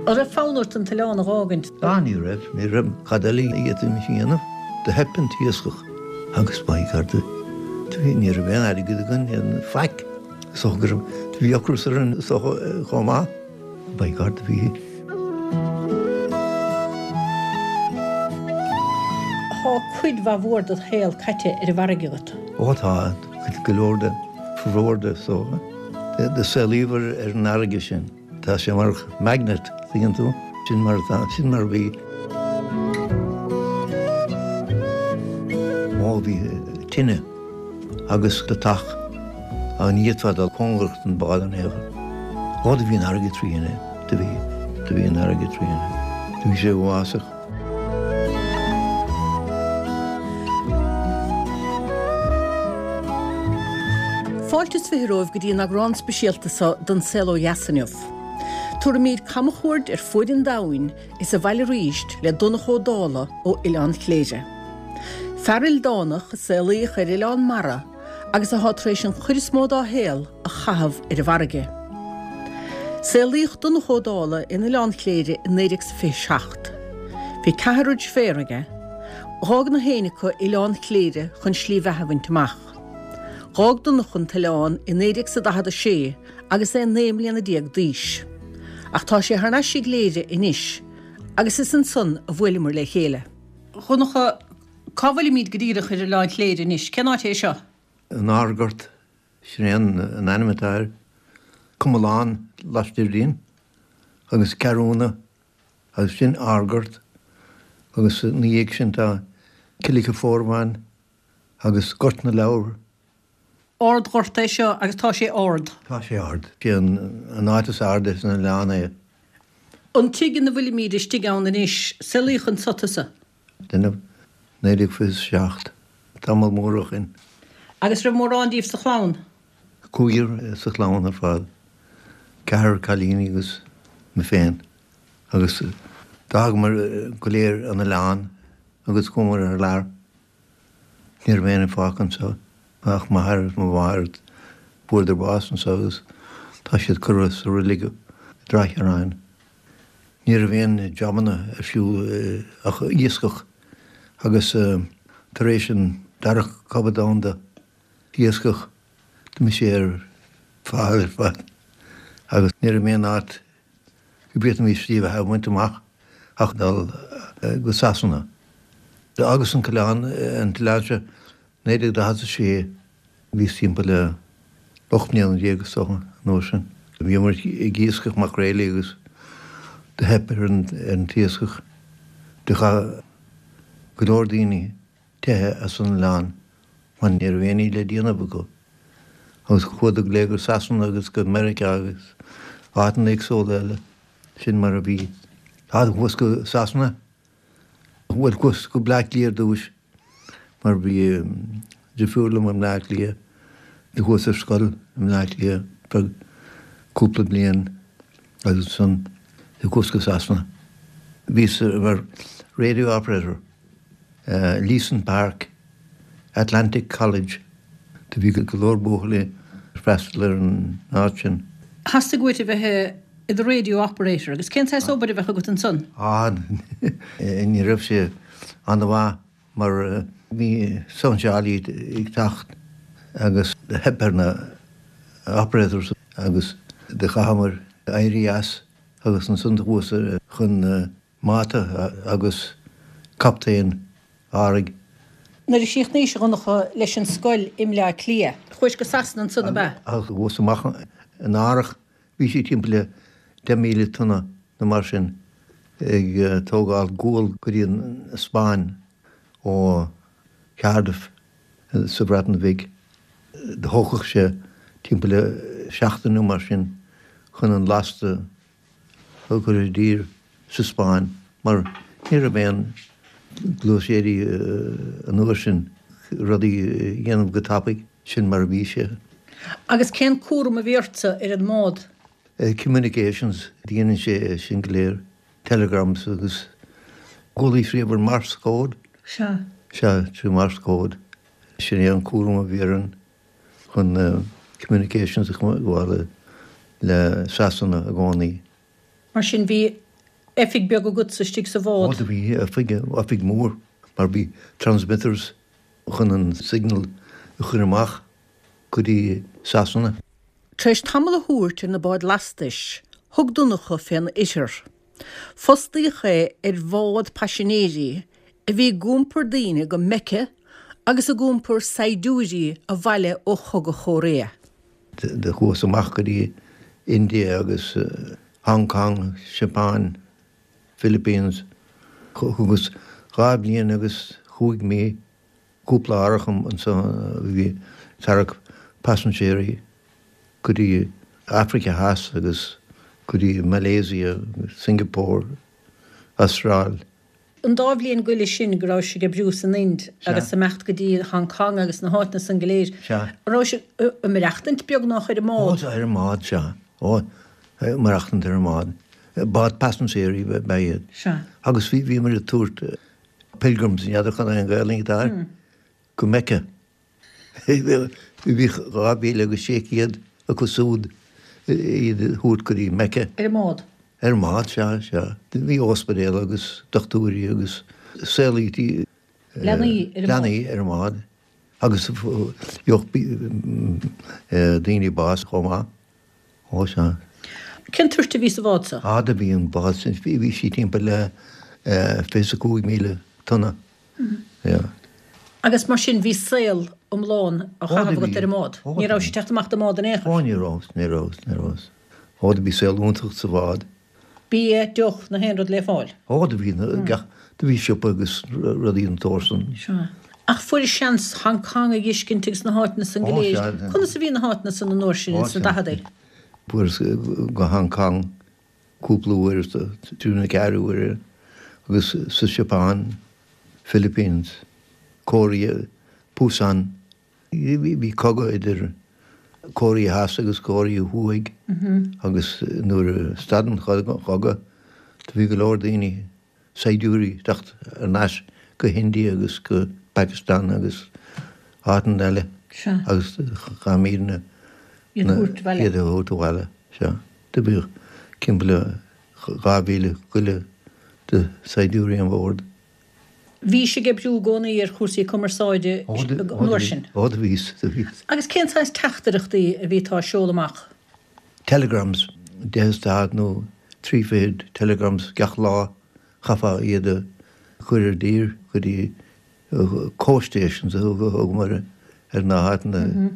An raibh fonn ort an t-oileán a dh'fhágaint? Ah, ní raibh. Ní raibh. Cad eile a d'fhéadfaimis a dhéanamh? Do theip an t-iascach agus by God, do bhí, ní raibh aon airgead againn, aon faic. Is dócha go raibh, do bhí ocras orainn is dócha chomh maith. By God, do bhí. Tá cuid mhaith mhór dod shaol caite ar an bhfarraige agat. Ó tá, cuid go leor de, formhór de is dócha. Do saolaíomar ar an fharraige sin. Tá sé mar magnet, tuigeann tú? Sin mar atá, sin mar a bhí. Ó bhí tine agus deatach á ní fhéadfá dul cóngarach don bhád in aon chor. Ó do bhí an fharraige trína, do bhí, do bhí an fharraige trína. Do bhí sé uafásach. Fáilte is 20 romhaibh go dtí an eagrán speisialta seo den Saol Ó Dheas inniu. Tabharfaimid camchuaird ar fuaid an domhain is abhaile arís le Donncha Ó Dálaigh ó Oileán Chléire. Fear ildánach a saolaíodh ar oileán mara agus atá tar éis an chuid is mó dá shaol a chaitheamh ar an bhfarraige. Saolaíodh Donncha Ó Dálaigh in Oileán Chléire i 1927. Bhí ceathrar deirféar aige. Dh'fhág na héinne acu Oileán Chléire chun slí bheatha a bhaint amach. Dh'fhág Donncha an t-oileán i 1946 agus é 19 mbliana d'aois. Ach tá sé thar n-ais i gCléire anois agus is ansan a bhuaileamar le chéile. A Dhonncha, cá bhfuilimid go díreach ar Oileán Chléire anois? Cén áit é seo? An Ardghort. Sin é an ainm atá air. Comalán laistiar dínn agus Ceathrúna agus sin Ardghort agus ina dhiaidh sin tá Killicoforvan agus Gort na Leabhar. Ardghort é seo agus tá sé ard. Tá sé ard. Sé an áit is airde san oileán é. An tigh ina bhfuilimid istigh ann anois, saolaíodh anso tusa? Déanamh, 1927, tamall mór ó shin. Agus raibh mórán díobh sa chlann? Cúigear sa chlann ar fad, ceathrar cailíní agus mé féin. Agus d'fhágamar go léir an oileán agus chuamar thar lear. Ní raibh éinne fágtha anseo ach m'athair agus mo mháthair. Fuaireadar bás anseo agus tá siad curtha sa reilig i dTráigh Chiaráin. Ní raibh aon jabanna ar siúl ach iascach agus tar éis an Dara Cogadh Domhanda, iascach, d'imigh sé ar fad ar fad agus ní raibh aon áit go bhféadfaimis slí bheatha a bhaint amach ach dul go Sasana. D'fhágas an t-oileán, an t-oileán seo, 1946. Bhíos timpeall le 18 mbliana is dócha an uair sin. Bhíomar ag iascach maicréilí agus do theip ar an t-iascach. Do chaith go leor daoine teitheadh as an oileán mar ní raibh aon ní le déanamh acu. Agus chuadar go léir go Sasana agus go Meiriceá agus áiteanna éagsúla eile. Sin mar a bhí. Chuas go Sasana. Bhuel, chuas go Bleá Cliath ar dtúis mar bhí deirfiúr liom i mBleá Cliath. Do chuas ar scoil i mBleá Cliath feadh cúpla bliain agus ansan do chuas go Sasana. Bhíos mar radio operator, Leeson Park, Atlantic College. Do bhí go leor buachaillí ag freastal ar an áit sin. Theastaigh uait a bheith i do radio operator agus cén saghas obair a bheadh agat ansan? Á, ní raibh sé ana-mhaith mar bhí sóinseálaí ag teacht agus theip ar na operators agus do chaitheamar éirí as agus ansan do chuas chun máta agus captaen árthaigh. Nuair a chríochnaís, a Dhonncha, leis an scoil i mBleá Cliath, chuais go Sasana ansan, ab ea? Chuas amach in árthach Bhí sé timpeall le 10,000 tonna nó mar sin ag tógáil gual go dtí an Spáinn ó Cardiff sa Bhreatain Bhig. Do thógfadh sé timpeall le seachtain nó mar sin chun an lasta a chur i dtír sa Spáinn mar ní raibh aon gluaiséirí an uair sin rudaí a dhéanamh go tapaidh. Sin mar a bhí sé. Agus cén cúram a bhí ortsa ar an mbád? Communications, déanann sé sin go léir, telegrams agus chualaís riamh ar Morse code? Sea. Sea, trí Morse code. Sin é an cúram a bhí orainn chun communications a choinneáil le Sasana i gcónaí. Mar sin bhí. Oifig beag agatsa istigh sa bhád? Ó do bhí oifig, oifig mór mar bhí transmitters chun an signal a chur amach go dtí Sasana. Tar éis tamall a thabhairt ar na báid lastais, thug Donncha fén oirthear. Fostaíodh é ar bhád paisinéirí a bhí ag iompar daoine go Meice agus ag iompar saighdiúirí abhaile ó Chogadh Chóiréa. Do chuas amach go dtí India agus Hong Kong, Japan, Philippines. Thugas 2 bhliain agus chúig mí, cúpla árthach anso a bhí ag tarrac pasinséirí go dtí Africa Theas agus go dtí Malaysia, Singapore, Astráil. An dá bhliain go leith sin go raibh sibh ag oibriú san Ind agus imeacht go dtí Hong Kong agus na háiteanna san go léir, Sea. an raibh sibh ag maireachtaint beagnach ar an mbád? Ó, ar an mbád, sea. Ó, ag maireachtaint ar an mbád. Bád pasinséirí ab ea iad. Sea. Agus bhí, bhíomar ag tabhairt pilgrims, n'fheadar cad é an Ghaelainn atá air, go Mecca. Bhí 2,600 acu siúd iad a thabhairt go dtí Mecca. Ar an mbád? Ar an mbád, sea, sea. Bhí ospidéal agus dochtúirí agus saolaítí Leanaí ar an mbád. Leanaí ar an mbád agus gheobhadh daoine bás chomh maith. Ó, sea. Cén toirt a bhí sa bhád so? Ah, do bhí an bád sin, bhí sí timpeall le 25,000 tonna. Yeah. Agus mar sin bhí saol iomlán á chaitheamh agat ar an mbád. Ní raibh sé ag teacht amach den mbád in aon chor. Ó ní raibh, ní raibh, ní raibh. Ó do bhí saol iontach sa bhád. Bia, deoch, na haon rud le fáil. Ó do bhí gach, do bhí siopa agus rudaí den tsórt san. Sea. Ach fuairis seans Hong Kong a dh'fheiscint agus na háiteanna san go léir. Conas a bhí na háiteanna san an uair sin, ins na daicheadaí? Fuaireas go Hong Kong cúpla uair, trí nó ceathair uaire, agus sa Seapáin, Philippines, Korea, Busan. Bhí cogadh idir Cóiréa Theas agus Cóiréa Thuaidh agus nuair a stad an cogadh do bhí go leor daoine, saighdiúirí, ag teacht thar n-ais go hIndia agus go Pakistan agus áiteanna eile agus chaithimidne iad a thabhairt abhaile. Sea. Do bhíodh timpeall le 2,000 go leith de saighdiúirí an bhord. Bhís ag oibriú i gcónaí ar chúrsaí cumarsáide an uair sin? Ó do bhíos, do bhíos. Agus cén saghas teachtaireachtaí a bhítá a seoladh amach? Telegrams, deich is daichead nó trí fichid telegrams gach lá, chaithfeá iad a chur i dtír go dtí coast stations a thugamar ar na háiteanna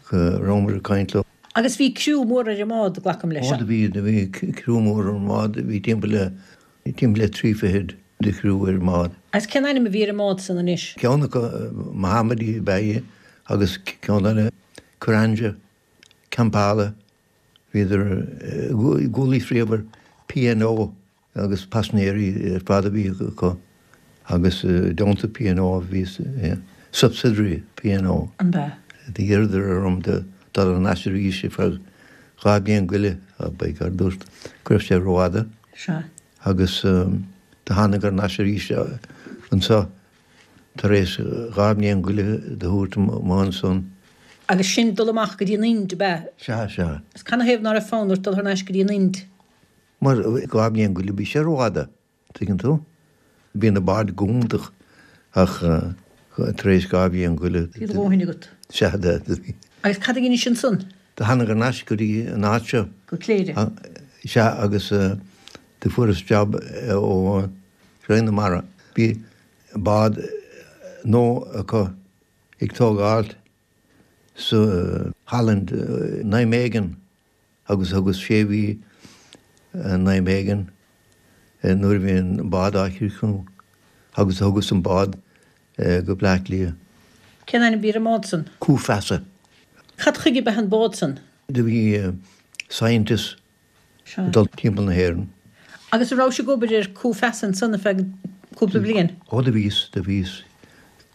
go rabhamar ag caint leo. Agus bhí criú mór ar an mbád, glacaim leis? Ó do bhí, do bhí criú mór ar an mbád, bhí timpeall le Timpeall le 30 de chriú ar an mbád. Agus cén ainm a bhí ar an mbád san anois? Ceann acu Mohammadi ab ea é agus ceann eile Karanja, Kampala. Bhíodar i gcónaí faoi P&O agus paisinéirí ar fad a bhí acu agus i dteannta P&O bhí subsidiary P&O. An ea? D'iarradar orm dul thar n-ais arís ar feadh 2 bliain go leith, by God, dúirt go raibh sé rófhada. Sea. Agus do thánag thar n-ais arís anso tar éis 2 mbliain go leith do thabhairt amuigh ansan. Agus sin dul amach go dtí an Ind, ab ea? Sea, sea. Agus canathaobh ná raibh fonn ort dul thar n-ais go dtí an Ind? Mar 2 mbliain go leith bhí sé rófhada. Tuigeann tú? Bhí na báid go hiontach ach tar éis 2 bhliain go leith. Bhí do dhóthain agat. Sea, do bhí. Agus cad a dheinis ansan? Do thánag thar n-ais go dtí an áit seo. Go Cléire. Sea, agus do fuaireas job ó Roinn na Mara. Bhí bád nua acu ag tógáilt sa Holland, Nijmegen. agus thugas sé mhí i Nijmegen nuair a bhí an bád á chríochnú agus thugas an bád go Bleá Cliath. Cén ainm a bhí ar an mbád san? Cú Feasa. Cad chuige ab ea an bád san? Do bhí scientists ag dul timpeall na hÉireann. Agus an rabhais ag obair ar Cú Feasa ansan ar feadh cúpla bliain? Ó do bhíos, do bhíos.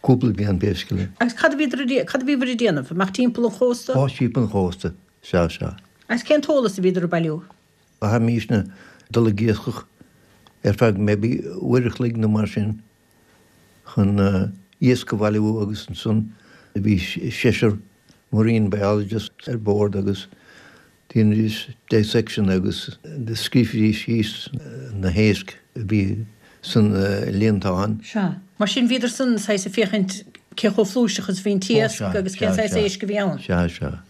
Cúpla bliain basically. Agus cad a bhíodar a, cad a bhíobhair ag déanamh? Amach timpeall an chósta? Ó timpeall an chósta. Sea, sea. Agus cén t-eolas a bhíodar ag bailiú? Chaithimísne dul ag iascach ar feadh maybe uair a chloig nó mar sin chun iasc a bhailiú agus ansan bhí seisear marine biologists ar bord agus. Dhéanaidís dissection agus do scríobhaidís síos na héisc a bhí san líontán. Sea. Mar sin bhíodar san saghas ag féachaint cé chomh flúirseach is a bhí an t-iasc agus cén saghas éisc a bhí ann. Sea, sea.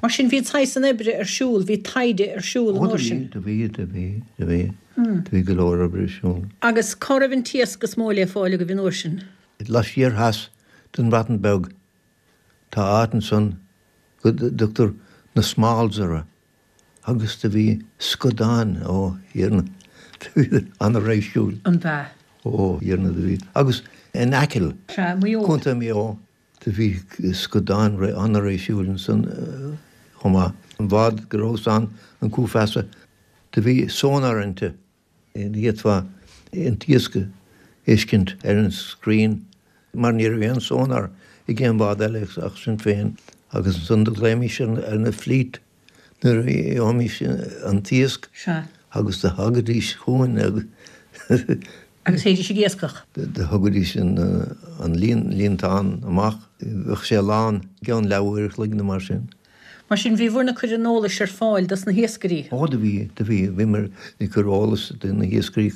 Mar sin bhí saghas an oibre ar siúl, bhí taighde ar siúl an uair sin. Ó do bhí, do bhí, do bhí, do bhí. Do bhí go leor oibre ar siúl. Agus cá raibh an t-iasc is mó le fáil agaibh an uair sin? Laistiar theas den Bhreatain Bheag tá áit ansan go dtugtar na Smalls orthu agus do bhí scadáin, ó Thiarna, do bhí an-réisiúil. An b'ea? Ó Thiarna, do bhí. Agus in Acaill, Sea, Maigh Eo. Contae Mhaigh Eo, do bhí scadáin an-réisiúil ansan chomh maith. An bhád go rabhas ann, an Cú Feasa, do bhí sonar inti. D'fhéadfá an t-iasc a fheiscint ar an screen mar ní raibh aon sonar ag aon bhád eile ach sinn féin agus ansan do ghlaoimís ar na fleet nuair a gheobhaimís an t-iasc agus do thagaidís chugainn agus Agus théidís ag iascach. Do thugaidís an líontán amach, bheadh sé lán i gceann leathuair a chloig nó mar sin. Mar sin, bhí bhur ag cur an eolais ar fáil dos na hiascairí. Ó, do bhí, do bhí. Bhíomar ag cur eolas do na hiascairí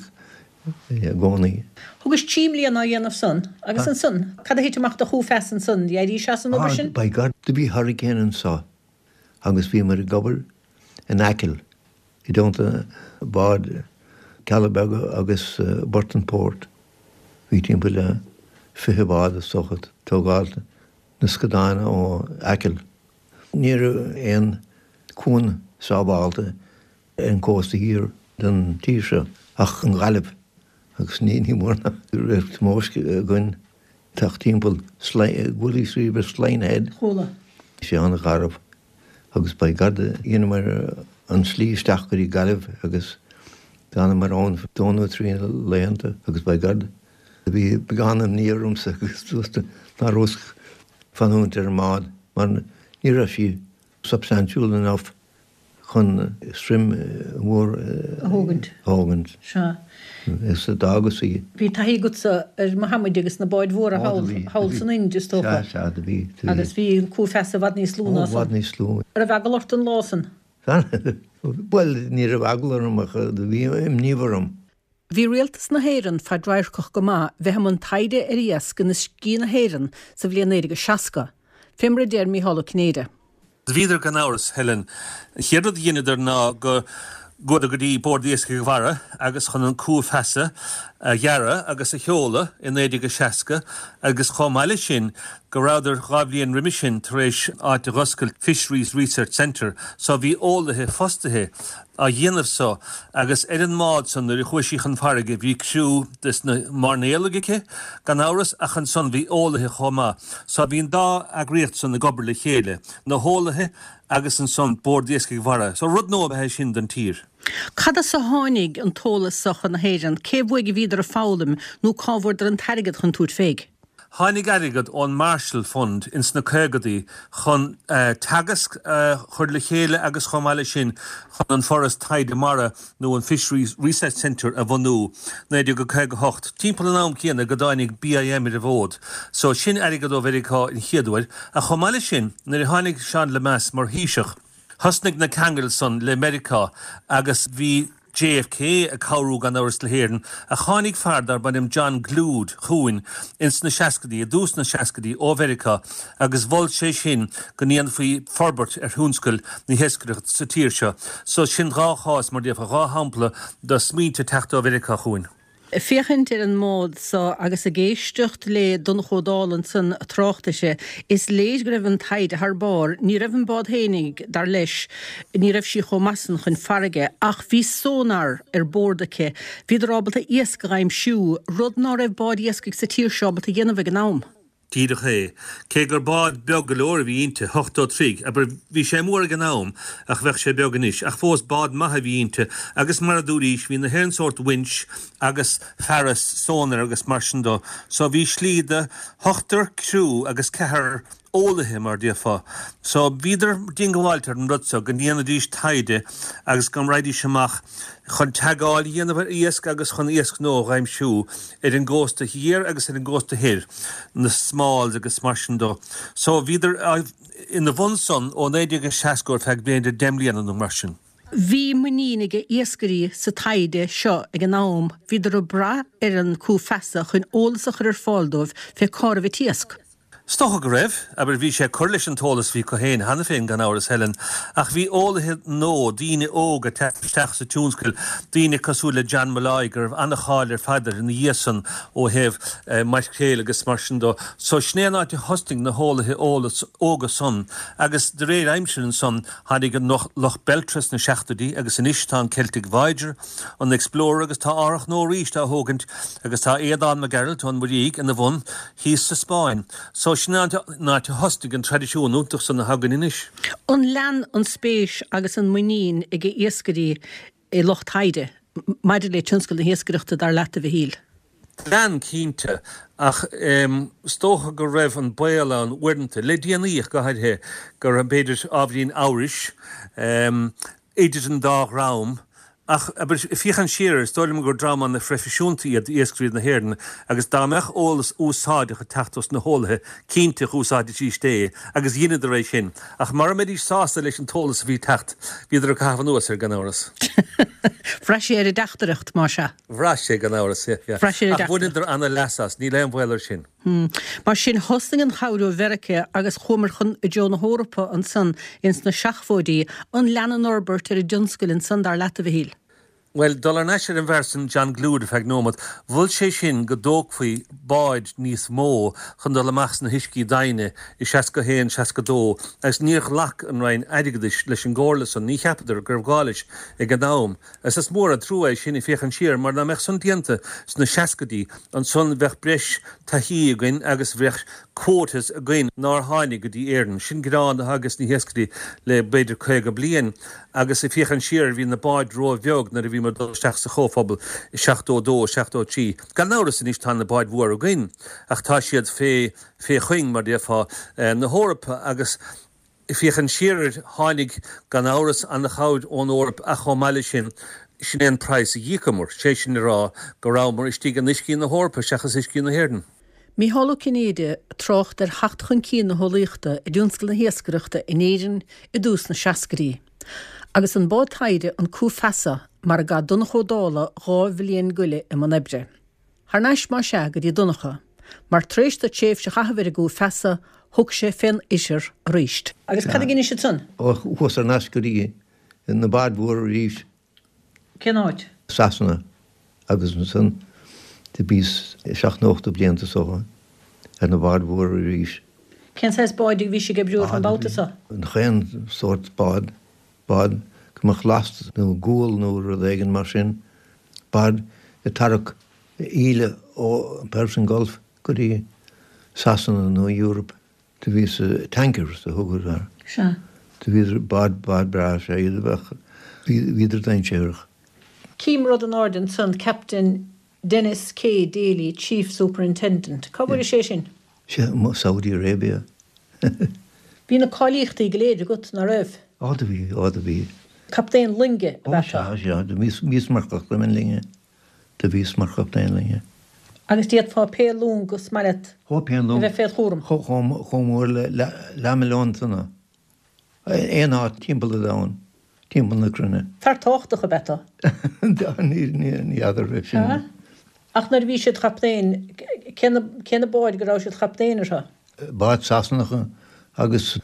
i gcónaí. Thugais trí mbliana á dhéanamh san, agus ansan, cad a thit amach do Chú Feasa ansan? D'éirís as an obair sin? Ah, by God, do bhí hurricane anso agus bhíomar ag obair in Acaill i dteannta bád Cealla Beaga agus Burtonport. Bhí timpeall le 20 bád is dócha ag tógáil na scadáin ó Acaill. Ní raibh aon cuan sábhálta ar an cósta thiar den tír seo ach an Ghaillimh agus ní mór ná raibh tomóisc againn teacht timpeall chualaís riamh ar Slyne Head. Chuala. Sé an-gharbh agus by God dheineamar an slí isteach go dtí Gaillimh agus d'fhanamar ann dó nó trí laethanta agus by God Bhí beagán imní ormsa agus dúirt ná rabhas fanúint ar an mbád mar ní raibh sí substantial enough chun stoirm mhór a thógaint. A thógaint. Sea. Is d'fhágas í. Bhí taithí agatsa ar mo hamaide agus na báid mhóra thall, thall san Ind, is dócha. Sea, sea, do bhí, do bhí. Agus bhí an Cú Feasa i bhfad níos lú ná san. Ó, i bhfad níos lú. An raibh eagla ort an lá san? Bhuel, ní raibh eagla orm ach do bhí imní orm. Bhí rialtas na hÉireann fadradharcach go maith bheith i mbun taighde ar iasc in uiscí na hÉireann sa bhliain 1960, fé mar a deir Mícheál Ó Cinnéide. Bhíodar gan amhras, Helen. An chéad rud a dheineadar ná go gcuadar go dtí Bord Iascaigh Mhara agus chun an Cú Feasa a dhearadh agus a sheoladh i 1960 agus chomh maith leis sin go rabhadar dhá bhliain roimis sin tar éis áit a dh'oscailt, Fisheries Research Centre, so bhí eolaithe fostaithe á dhéanamh so agus ar an mbád san nuair a chuaigh sí chun farraige bhí criú des na mairnéalaigh aici gan amhras ach ansan bhí eolaithe chomh maith so bhí an dá eagraíocht san ag obair le chéile, na heolaithe agus ansan Bord Iascaigh Mhara. So rud nua ab ea é sin don tír. Cad as a tháinig an t-eolas so chun na hÉireann? Cé uaidh a bhíodar ag foghlaim nó cá bhfuaireadar an t-airgead chun tabhairt féig? Tháinig airgead ón Marshall Fund ins na caogadaí chun Teagasc a chur le chéile agus chomh maith leis sin chun an Foras Taighde Mara nó an Fisheries Research Centre a bhunú, 1958, timpeall an am céanna go dtáinig BIM ar an bhfód. So sin airgead ó Mheiriceá an chéad uair. Ach chomh maith leis sin, nuair a tháinig Seán Lemass mar Thaoiseach, thosnaigh na ceangail san le Meiriceá agus bhí JFK ag cabhrú gan amhras le hÉirinn, ach tháinig fear darb ainm John Glued chugainn ins na seascaidí, i dtús na seascaidí, ó Mheiriceá agus mhol sé sin go ndéanfaí forbairt ar thionscal na hiascaireachta sa tír seo. So sin dhá chás, mar déarfá, dhá shampla de smaointe ag teacht ó Mheiriceá chugainn. Ag féachaint ar an mbád so agus ag éisteacht le Donnchadh Ó Dálaigh ansan ag trácht uirthi, is léir go raibh an taighde thar barr. Ní raibh an bád fhéinig, dar leis, ní raibh sí chomh maith san chun farraige, ach bhí sonar ar bord aici. Bhíodar ábalta iasc a dh'aimsiú, rud ná raibh báid iascaigh sa tír seo ábalta a dhéanamh ag an am. Díreach é. Cé gur bád beag go leor a bhí inti, 80 troigh, abair, bhí sé mór ag an am ach bheadh sé beag anois, ach fós bád maith a bhí inti agus mar a dúraís bhí na haon sórt winch agus fearas sonar agus mar sin dó so bhí slí do hochtar criú agus ceathrar. eolaithe mar déarfá. So bhíodar diongbháilte ar an rud so go ndéanfaidís taighde agus go raghaidís amach chun teagmháil a dhéanamh ar iasc agus chun iasc nua a dh'aimsiú ar an gcósta thiar agus ar an gcósta thoir, na smalls agus mar sin dó. So bhíodar ina bhun san ó 1960 ar feadh b'fhéidir 10 mbliana nó mar sin. Bhí muinín ag iascairí sa taighde seo ag an am, bhíodar ag brath ar an Cú Feasa chun eolas a chur ar fáil dóibh fé cá raibh an t-iasc. Is dócha go raibh. Abair, bhí sé ag cur leis an t-eolas a bhí acu féin cheana féin, gan amhras, Helen. Ach bhí eolaithe nua, daoine óga ag teacht isteach sa tionscal, daoine cosúil le John Molloy, go raibh an-cháil ar fad air ina dhiaidh san ó thaobh maicréil agus mar sin dó. So sin é an áit a thosnaigh na heolaithe óga san agus de réir aimsire ansan tháinig an Loch Beltra sna seachtóidí agus anois tá an Celtic Voyager, an Explorer agus tá árthach nua arís á thógaint agus tá Aodán Mac Gearailt ón Muirígh ina bhun thíos sa Spáinn. So sin an áit a thosnaigh an traidisiún iontach san atá againn anois. An lean an spéis agus an muinín ag iascairí i lucht taighde maidir le tionscal na hiascaireachta, dar leat, a Mhichíl? Lean, cinnte, ach is dócha go raibh an baol ann uaireanta, le déanaí ach go háirithe, go raibh b'fhéidir ábhairín amhrais idir an dá dhream. Ach, abair, féachaint siar air, is dóigh liom gur dream an-phroifisiúnta iad iascairí na hÉireann agus dá mbeadh eolas úsáideach ag teacht ós na heolaithe, cinnte dh'úsáidfidís é, agus dheineadar é sin. Ach mara mbeidís sásta leis an t-eolas a bhí ag teacht, bhíodar ag caitheamh anuas air, gan amhras. Bhraith sé ar an dteachtaireacht, más ea. Bhraith sé, gan amhras, yeah, yeah. Bhraith sé ar an Ach bhaineadar an-leas as, níl aon bhaol air sin. Mar sin, thosnaigh an chabhair ó Mheiriceá agus chuamar chun i dtreo na hEorpa ansan ins na seachmhóidí. An lean an fhorbairt ar an dtionscal ansan, dar leat, a Mhichíl? Bhuel, dul thar n-ais ar an bhfear san, John Glued, ar feadh nóimeat, mhol sé sin go dtógfaí báid níos mó chun dul amach sna huiscí doimhne i 61, 62 agus níor ghlac an Roinn Airgeadais leis an gcomhairle san, ní cheapadar go raibh gá leis ag an am. Is is mór an trua é sin ag féachaint siar, mar dá mbeadh san déanta sna seascaidí, ansan bheadh breis taithí againn agus bheadh quotas againn nár tháinig go dtí Éirinn. Sin gearán atá ages na hiascairí le b'fhéidir 50 bliain. Agus ag féachaint siar, bhí na báid ró-bheag nuair a bhíomar ag dul isteach sa Chomhphobal i 72, 73. Gan amhras anois tá na báid mhóra againn, ach tá siad fé, fé chuing, mar déarfá, na hEorpa agus, Ag féachaint siar air, tháinig, gan amhras, an-chabhair ón Eoraip ach chomh maith leis sin, sin é an praghas a d'íocamar, sé sin le rá go rabhamar istigh in uiscí na hEorpa seachas uiscí na hÉireann. Micheál Ó Cinnéide ag trácht ar theacht chun cinn na heolaíochta i dtionscal na hiascaireachta in Éirinn i dtús na seascaidí. Agus an bád taighde an Cú Feasa mar a gcaith Donncha Ó Dálaigh 2 bhliain go leith i mbun oibre. Thar n-ais más ea go dtí Donncha, mar tar éis dó tréimhse a chaitheamh ar an gCú Feasa, thug sé fén ithir aríst. Agus cad a dheinis ansan? Ó, chuas thar n-ais go dtí na báid mhóra arís. Cén áit? Sasana. Agus ansan do bhíos seacht nó ochtó blianta is dócha ar na báid mhóra arís. Cén saghas báid a bhís ag oibriú orthu an babhta so? Chaon sórt bád. Bád go mbeadh last nó gual nó rud éigin mar sin, bád ag tarrac íle ó Persian Gulf go dtí Sasana nó Europe. Do bhíos tankers a thugadar air. Sea. Do bhíodar bád, bád breá, sea, iad a bheadh, bhíodar dainséarach. Cím rud in airde ansan, Captain Denis K. Daly, Chief Superintendent. Cá bhfuair sé sin? Sea, Saudi Arabia. Bhí na cáilíochtaí go léir agat, ná raibh? Á do bhí, á do bhí. Captaen loinge ab ea tú? Ó sea, sea, do bhíos mar chaptaen loinge, do bhíos mar chaptaen loinge. Agus d'fhéadfá pé long is maith leat Ó, pé long. a bheith féd chúram? Chomh mór le leathmhilliún tonna. Aon áit timpeall an domhain, timpeall na cruinne. Fear tábhachtach ab ea tú? Ní fheadar é sin. Sea. Ach nuair a bhí siad chaptaen, cé na, cé na báid go raibh siad chaptaen orthu? Báid Sasanacha agus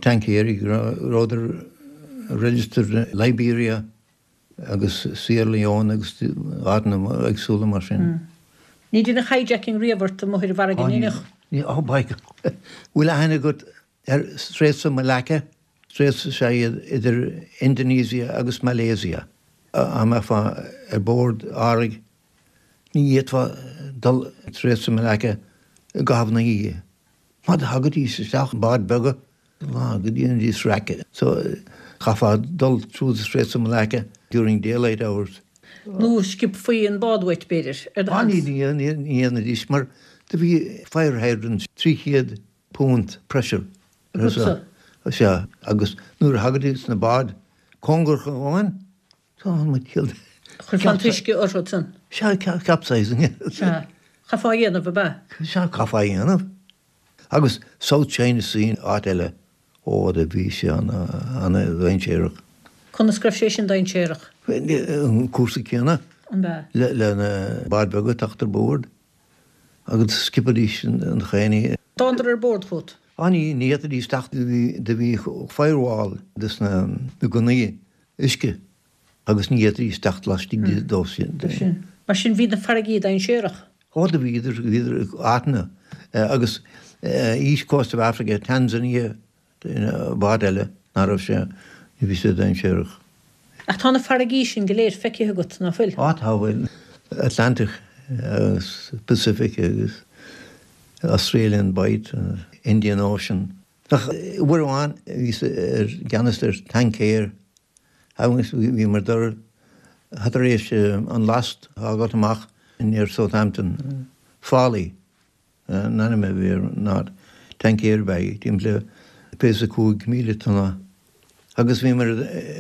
tancaeirí go rabhadar registered Liberia agus Sierra Leone agus áiteanna éagsúla mar sin. Ní deineadh hijacking riamh ort amuigh ar an bhfarraige, an ndeineadh? Ní, oh by God. Bhfuil aithne agat Ar Straits of Malacca, Straits is ea iad idir Indonesia agus Malaysia. Dá mbeifeá ar bord árthaigh ní fhéadfá dul Straits of Malacca i gcaitheamh na hoíche. Mar do thagaidís isteach i báid beaga lá go ndéanaidís raic. So chaithfeá dul through the Straits of Malacca during daylight hours. Nó sciobfaí an bád uait, b'fhéidir, ar do sheans. Ní dhéanfaidís mar do bhí fire hydrants 300. punt pressure. Agatsa? Sea, agus nuair a thagaidís na báid cóngarach dhúinn, tá an ciall. Chuirfeá an t-uisce orthu san. Sea, capsizing. Sea. Chaithfeá a dhéanamh, ab ea? Sea, chaithfeá a dhéanamh. Agus South China Sea, áit eile. Ó, do bhí sé ana-dhainséarach. Conas go raibh sé sin dainséarach? An cúrsa céanna. An ea? Le na báid bheaga teacht ar bord agus sciobfaidís an chaonaí. Thánadar ar bord chugat? Á ní, ní fhéadfaidís teacht, do bhí firewall dos na gunnaí uisce agus ní fhéadfaidís teacht laistigh dó sin. Mar sin bhí na farraigí dainséarach? Ó do bhíodar, bhíodar áiteanna agus East Coast of Africa, Tanzania, bád eile ná raibh sé, ní bhí sé dainséarach. Ach tá na farraigí sin go léir feicthe agat, ná fuil? Á tá, bhuel, Atlantic agus Pacific agus Australian Bight, Indian Ocean. Ach uair amháin bhíos i gceannas ar tancaer agus bhíomar ag dul tar éis an last a fhágáilt amach near Southampton, Folly an ainm a bhí ar an áit, tancaer ab ea í, timpeall le 25,000 tonna agus bhíomar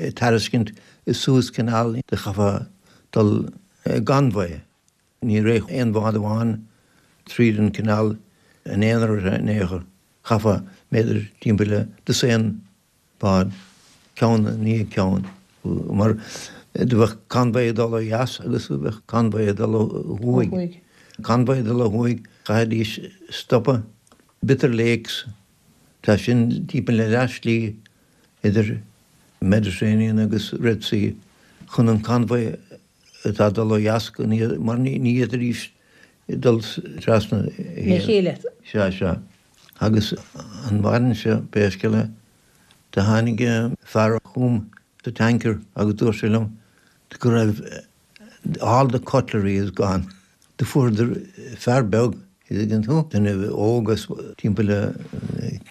ag tairiscint Suez Canal do chaithfeá dul i gconvoy. Ní raibh aon bhád amháin tríd an canal in aon in aon chor. Chaithfeá b'fhéidir timpeall le dosaen bád, ceann i ndiaidh ceann, mar do bheadh convoy ag dul ó dheas agus do bheadh convoy ag dul ó thuaidh. Convoy ag dul ó thuaidh, chaithfidís stopadh Bitter Lakes, tá sin timpeall le leath slí idir Mediterranean agus Red Sea, chun an convoy atá ag dul ó dheas go mar ní fhéadfaidís dul trasna le chéile. Sea, sea. Agus an mhaidin seo, pé scéal é, do tháinig fear chugam sa tanker agus dúirt sé liom go raibh all the cutlery is gone. Do fuaireadar fear beag, thuigeann tú, duine óg as timpeall le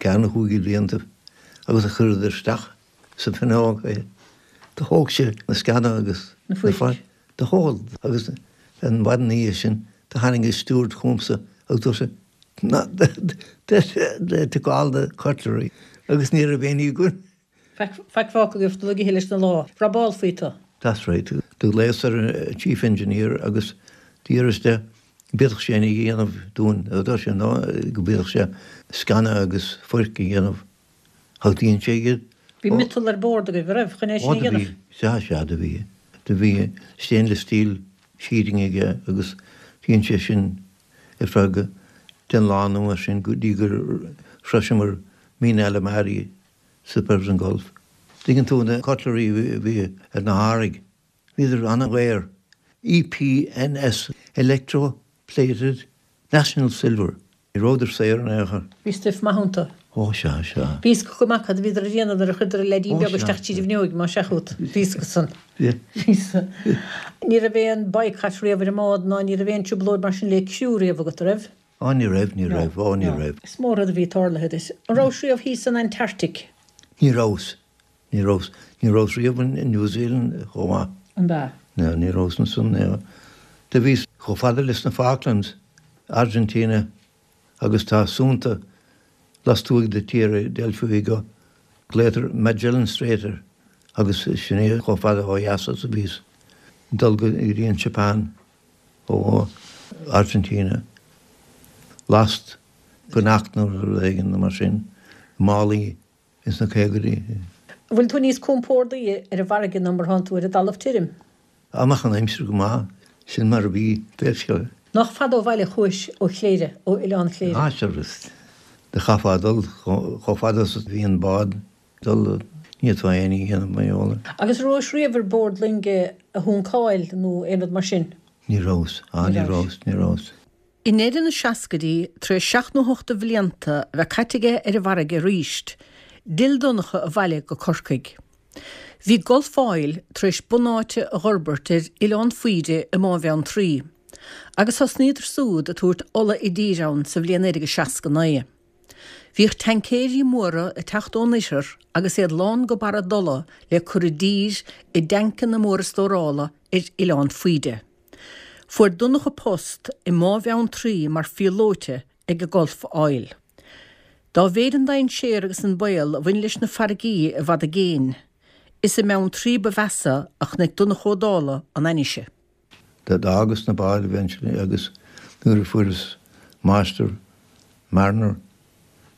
ceathair nó chúig de bhlianta agus a chuireadar isteach sa bhfuinneog é. Do thóg sé na sceana agus na fuirc. Do thóg agus an mhaidin ina dhiaidh sin do tháinig an steward chugamsa agus dúirt sé They took all the cutlery agus ní raibh aon ní againn. Faic fágtha agaibh dul ag ithe leis na lá. Robálfaí tú. That's right. Do ghlaos ar an chief engineer agus d'fhiafraíos de an bhféadfadh sé aon ní a dhéanamh dúinn. Dúirt sé no, go bhféadfadh sé sceana agus fuirc a dhéanamh. Ach dhein sé iad. Bhí miotal ar bord agaibh, an raibh, chun é sin a dhéanamh? Sea, sea, do bhí. Do bhí stainless steel sheeting aige agus dhein sé sin ar feadh den lá nó mar sin go dtí gur shroiseamar Mina Al Ahmari sa Persian Gulf. Tuigeann tú na cutlery a bhí ar na hárthaigh, bhíodar an-dhaor. EPNS, Electro Plated National Silver. Ní rabhadar saor in aon chor. Bhí stuif maith iontu. Ó sea, sea. Bhí fhios acu go maith cad a bhíodar a dhéanamh nuair a chuireadar an leidín beag isteach tríd an bhfuinneoig, más ea chugat. Bhí fhios acu san. Bhí. Ní raibh aon boycott riamh ar an mbád ná ní raibh aon trioblóid mar sin le criú riamh agat, an raibh? Ó ní raibh, ní raibh, ó ní raibh. Is mór rud a bhí tarlaithe duit. An rabhais riamh thíos san Antarctic? Ní rabhas. Ní rabhas, ní rabhas riamh in New Zealand chomh maith. An ea? No, ní rabhas ansan, no. Do bhíos chomh fada leis na Falklands, Argentina agus tá suanta lastuaidh de Tierra del Fuego, glaotar Magellan Strait air agus sin é chomh fada ó dheas is a bhíos. Dul go dtí an Japan ó Argentina, last fanacht nó rud éigin mar sin, málaí ins na caogaidí. An bhfuil tú níos compórdaí ar an bhfarraige ná mar thánn tú ar an dtalamh tirim? Dá mbeadh an aimsir go maith, sin mar a bhí, pé scéal é. Nach fada ó bhaile a chuais ó Chléire, ó Oileán Chléire? Ah, sure, do chaithfeá dul chomh fada is a bhí an bád dul, ní fhéadfá aon ní a dhéanamh mar gheall air. Agus an rabhais riamh ar bord loinge a shuncáil nó aon rud mar sin? Ní rabhas, ah, ní rabhas, ní rabhas. I ndeireadh na seascaidí, tar éis seacht nó hocht de bhlianta a bheith caite aige ar an bhfarraige arís, d'fhill Donncha abhaile go Corcaigh. Bhí Gulf Oil tar éis bunáite a dh'fhorbairt ar Oileán Faoide i mBá Bheanntraí, agus thosnaíodar súd ag tabhairt ola i dtír ann sa bhliain 1969. Bhíodh taincéirí móra ag teacht ón oirthear agus iad lán go barra d'ola le cur i dtír i dtancanna móra stórála ar Oileán Faoide. Fuair Donncha post i mBá Bheanntraí mar phíolóite ag Gulf Oil. Dá mhéid an dainséar agus an baol a bhain leis na farraigí i bhfad i gcéin, is i mBeanntraí ba mheasa a chonaic Donncha Ó Dálaigh an ainnise. D'fhágas na báid eventually agus nuair a fuaireas máistir mariner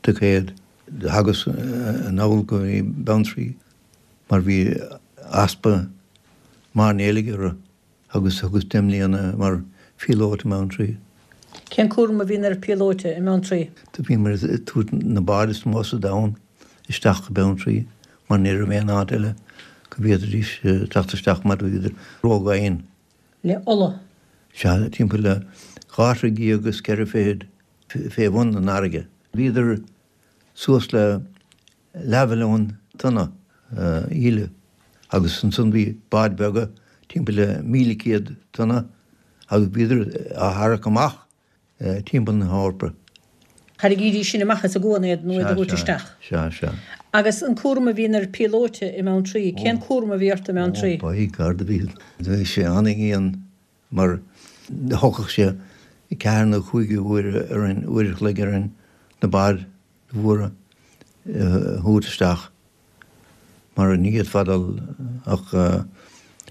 ticéad thagas anall go dtí Beanntraí mar bhí easpa mairnéalaigh orthu. Agus thugas 10 mbliana mar phíolóta i mBeanntraí. Cén cúram a bhíonn ar phíolóta i mBeanntraí? Do bhíomar ag tabhairt na báid is mó sa domhan isteach go Beanntraí mar ní raibh aon áit eile go bhféadfaidís teacht isteach mar bhíodar ródhoimhin. Le ola. Sea, timpeall le dhá throigh dhéag is ceithre fichid fé bhun an fharraige. Bhíodar suas le leathmhilliún tonna íle agus ansan bhí báid bheaga timpeall le 1,100 tonna agus bhíodar á tharrac amach timpeall na hEorpa. Tharraingídís sin amach as an gcuan iad nó iad a thabhairt isteach. Sea, sea. Agus an cúram a bhíonn ar phíolóta i mBeanntraí, cén cúram a bhí ort i mBeanntraí? Ó, by God, bhí, bhí sé an-dhian mar thógfadh sé ceathair nó cúig uair orainn, uair a chloig orainn na báid mhóra a thabhairt isteach mar ní fhéadfá dul ach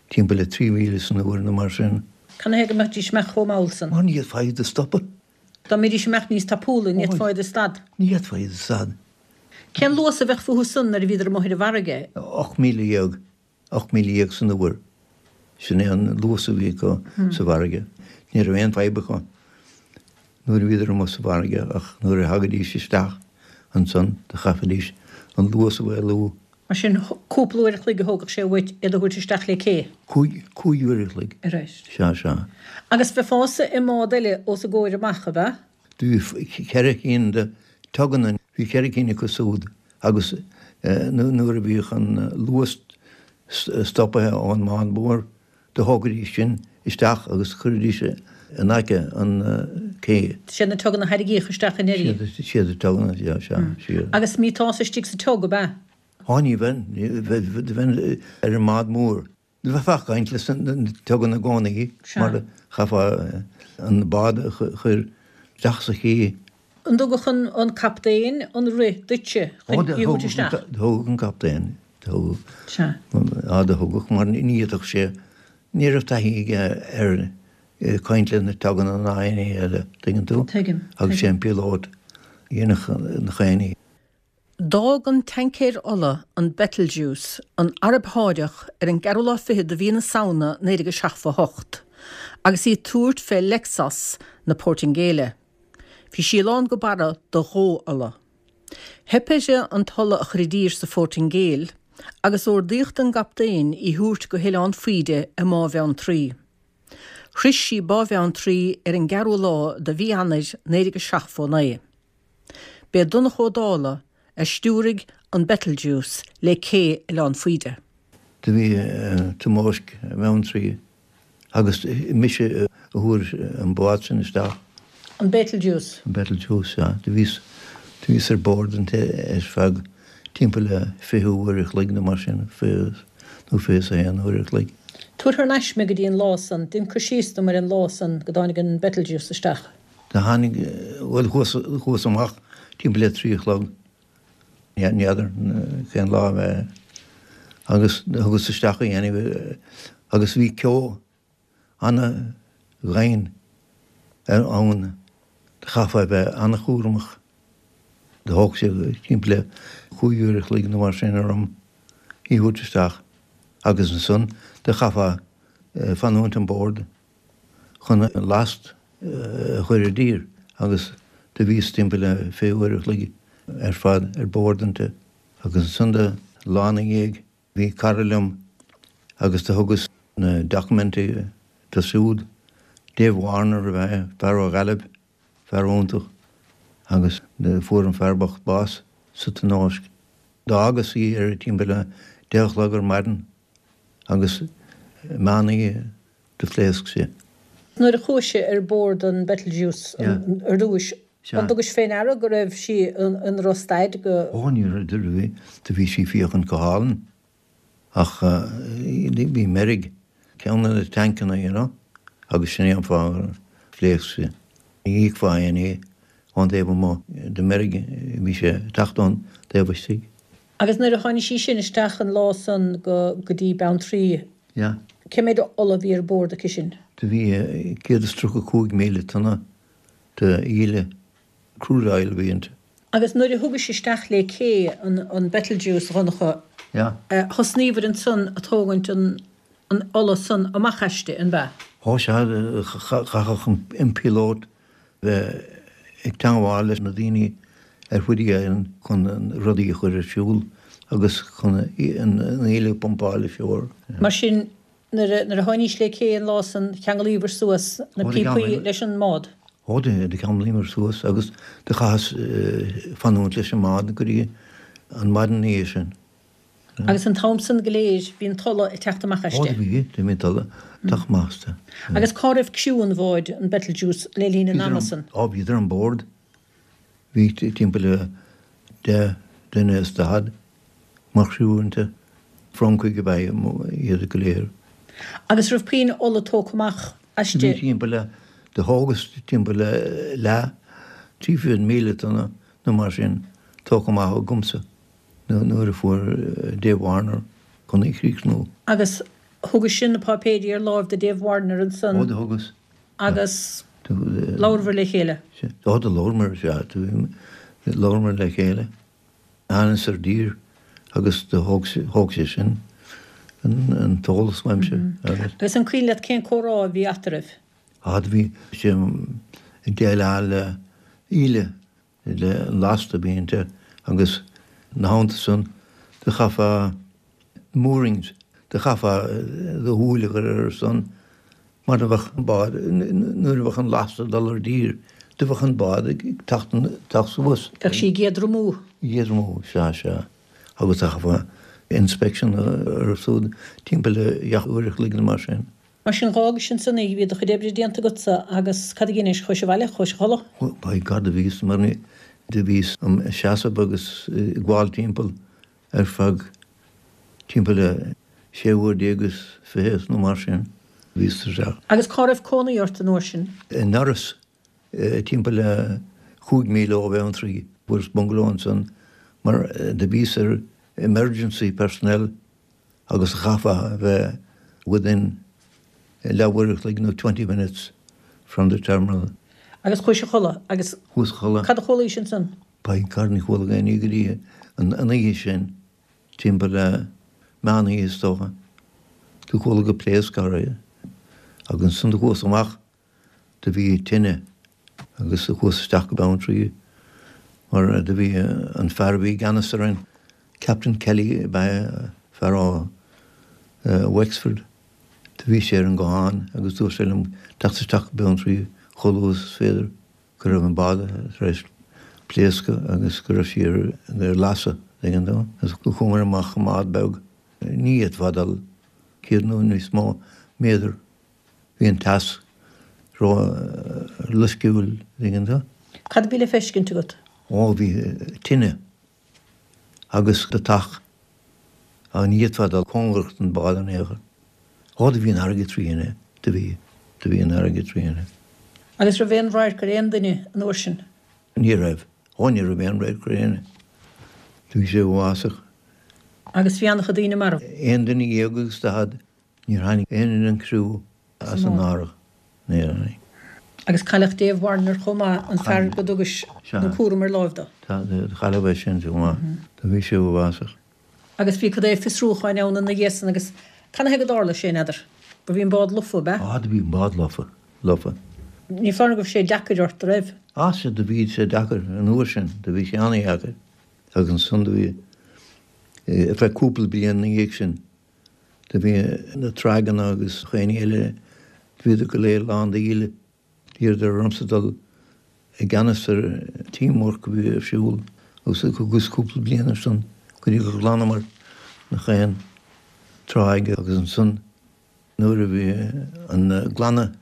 timpeall le 3,000 san uair nó mar sin. Canathaobh go mbeidís ag imeacht chomh mall san? Mar ní fhéadfá iad a stopadh. Dá mbeidís ag imeacht níos tapúla ní fhéadfá iad a stad. Ní fhéadfá iad a stad. Cén luas a bheadh fúthu san nuair a bhíodar amuigh ar an bhfarraige? 18,000. 18,000 san uair. Sin é an luas a bhí acu sa bhfarraige. Ní raibh aon fadhb acu nuair a bhíodar amuigh sa bhfarraige ach nuair a thagaidís isteach ansan do chaithfidís an luas a mhaolú. Mar sin, cúpla uair a chloig a thógfadh sé uait iad a thabhairt isteach le cé? Cúig, cúig uair a chloig. Right. Sea, sea. Agus bheifeása i mbád eile os a gcomhair amach, ab ea? Do bhí cheithre cinn de tuganna, bhí cheithre cinn acu súd agus nuair a bhíodh an luas stoptha ón mbád mór do thógaidís sin isteach agus chuiridís in aice an cé. Siad na tuganna a tharraingíodh isteach i ndeireadh. Siad na tuganna, sea, sea, sea. Agus mbíteása istigh sa tug, ab ea? Á ní bheinn, bheinn ar an mbád mór. Bheifeá ag caint leis na tuganna i gcónaí mar chaithfeá an bád a chur isteach sa ché. An dtugadh an captaen an rith duitse chun í a thabhairt isteach? Do thugadh an captaen, do thugadh. Sea. Á do thugadh mar ní fhéadfadh sé, ní raibh taithí aige ar caint le na tuganna ná aon ní eile, tuigeann tú? Tuigim. Agus sé an píolót a dhéanfadh na chaon ní. D'fhág an tancaer ola, an Betelgeuse, an Araib Sháideach ar an gceathrú lá fichead de mhí na Samhna 1978, agus í ag tabhairt fé Leixões na Portaingéile. Bhí sí lán go barra de dhó-ola. Theip uirthi an t-ola a chur i dtír sa Phortaingéil, agus ordaíodh don gcaptaen í thabhairt go hOileán Faoide i mBá Bheanntraí. Shroich sí Bá Bheanntraí ar an gceathrú lá de mhí Eanáir 1979. B'é Donncha Ó Dálaigh a stiúraigh an Betelgeuse le cé Oileán Faoide. Do bhí tionóisc i mBeanntraí agus mise a thabhair an bád sin isteach. An Betelgeuse? An Betelgeuse, sea. Do bhíos, do bhíos ar bord inti ar feadh timpeall le 20 uair a chloig nó mar sin, 20 nó 21 uair a chloig. Tabhair thar n-ais mé go dtí an lá san, dein cur síos dom ar an lá san go dtáinig an Betelgeuse isteach. Do tháinig, bhuel, chuas, chuas amach timpeall le trí a chlog, n'fheadar cén lá ab é, agus thugas isteach í anyway, agus bhí ceo ana-dhoimhin ann, chaithfeá a bheith ana-chúramach. Do thóg sé timpeall le chúig uair a chloig nó mar sin orm í a thabhairt isteach agus ansan do chaithfeá fanúint an bord. chun an last a chur i dtír agus do bhíos timpeall le 20 uair a chloig ar fad ar bord inti. Agus ansan do lá ina dhiaidh bhí cara liom agus do thugas na documentaí do siúd, Dave Warner ab ea é, fear ó Ghaillimh, fear iontach agus fuair an fear bocht bás sa tionóisc. D'fhágas í ar timpeall le deich a chlog ar maidin agus meán oíche do phléasc sí. Nuair a chuais ar bord an Betelgeuse ar dtúis, an dtugais fé ndeara go raibh sí ina raibh staid go. Ó, ní raibh, do bhí, do bhí sí féachaint go hálainn ach bhí meirg ceann de na tancanna, you know, agus sin é an fáth gur phléasc sí. Ní fheicfeá aon ní ón dtaobh amuigh de meirg. Bhí sé ag teacht ón taobh istigh. Agus nuair a tháinig sí sin isteach an lá san go go dtí Beanntraí, Yeah. cé méid ola a bhí ar bord aici sin? Do bhí 135,000 tonna de íle, crude oil a bhí inti. Agus nuair a thugais isteach lé cé an an Betelgeuse, a Dhonncha, Yeah. thosnaíobhair ansan a tógaint an an ola san amach aisti, an b'ea? Ó sea, chaithfeadh an píolót bheith ag teangmháil leis na daoine ar Whiddy Island chun rudaí a chur ar siúl agus chun an íle a phumpáil ashore. Mar sin, nuair a tháinís lé cé an lá san, cheanglaíobhair suas na píopaí leis an mbád? Ó, do cheanglaíomar suas agus do chaitheas fanúint leis an mbád go dtí an maidin ina dhiaidh sin. Agus an t-am san go léir bhí an t-ola ag teacht amach aisti. Ó, do bhí, do bhí an t-ola ag teacht amach aisti. Agus cá raibh criú an bháid, an Betelgeuse, le linn an ama san? Ó, bhíodar an bord. Bhí timpeall le 10 duine is 40 mar chriú inti. Francaigh ab ea iad go léir. Agus raibh puinn ola tógtha amach aisti? Bhí timpeall le, do thógas timpeall le leath, 300,000 tonna nó mar sin tógtha amach agamsa. nuair a fuair Dave Warner chun í chríochnú. Agus thugais-se na páipéirí ar láimh do Dave Warner ansan. Ó, do thugas. Agus labhrabhair le chéile. Ó, do labhramar, sea, labhramar le chéile. Thánas ar dtír agus do thóg sé sin an t-eolas uaimse agus. Agus an cuimhin leat cén comhrá a bhí eatarthu? Á, do bhí sé ag déileáil le íle le an lasta a bhí inti agus ina theannta san do chaithfeá moorings, do chaithfeá do shúil a chur orthu san mar do bheadh an bád, nuair a bheadh an lasta ag dul ar dtír, do bheadh an bád ag teacht, teacht suas. Bheadh sí ag éadromú. Ag éadromú, sea, sea. Agus do chaithfeá inspection orthu súd timpeall le gach uair a chloig nó mar sin. Mar sin, dh'fhágais ansan í, bhí do chuid oibre déanta agatsa agus cad a dheinis, chuais abhaile, chuais a chodladh? By God, do bhíos mar ní, do bhíos im sheasamh agus ag gabháil timpeall ar feadh timpeall le sé uair déag is fiche nó mar sin, bhíos tuirseach. Agus cá raibh cónaí ort an uair sin? I nDurlas, timpeall le chúig míle ó Bheanntraí. Fuaireas bungalow ansan mar do bhíos ar emergency personnel agus chaithfeá a bheith within leathuair a chloig nó 20 minutes from the terminal. Agus chuais a chodladh agus Chuas a chodladh. cad a chualaís ansan? By God ní chuala aon ní go dtí an oíche sin, timpeall le meán oíche is dócha. Do chuala go pléasc áirithe agus ansan do chuas amach Do bhí tine agus do chuas isteach go Beanntraí mar do bhí an fear a bhí i gceannas orainn, Captain Kelly ab ea é, fear ó Wexford. Do bhí sé ar an nguthán agus dúirt sé liom teacht isteach go Beanntraí chomh luath is féidir, go raibh an bád tar éis pléascadh agus go raibh sí ar lasadh, tuigeann tú. Agus chuamar amach i mbád beag, ní fhéadfá dul 100 nó níos mó méadar. Bhí an teas ró-loisciúil, tuigeann tú. Cad a bhí le feiscint agat? Ó, bhí tine agus deatach. Á, ní fhéadfá dul cóngarach don bád in aon chor. Ó, do bhí an fharraige trí thine, do bhí, do bhí an fharraige trí thine. Agus raibh aon radharc ar aon duine an uair sin? Ní raibh. Ó, ní raibh aon radharc ar éinne. Do bhí sé uafásach. Agus bhí an-chuid daoine marbh? Aon duine dhéag agus daichead. Níor tháinig éinne den chriú as an árthach, níor tháinig. Agus cailleadh Dave Warner chomh maith, an fear go dtugais an cúram ar láimh dó. Cailleadh é sin chomh maith. Do bhí sé uafásach. Agus bhí cad é fiosrúcháin ann ina dhiaidh san agus canathaobh go dtarla sé, n'fheadar? Ba bhí an bád lofa, ab ea? Á, do bhí an bád lofa, lofa. Ní foláir go raibh sé deacair ort, a raibh? Á, sea, do bhí sé deacair an uair sin, do bhí sé an-dheacair. Agus ansan do bhí, ar feadh cúpla bliain ina dhiaidh sin, Do bhí na tráigheanna agus chaon ní eile, do bhíodar go léir lán d'íle. D'iarradar ormsa dul i gceannas ar teamwork a bhí ar siúl agus thugas cúpla bliain air san go dtí gur ghlanamar nach aon tráigh agus ansan nuair a bhí an glanadh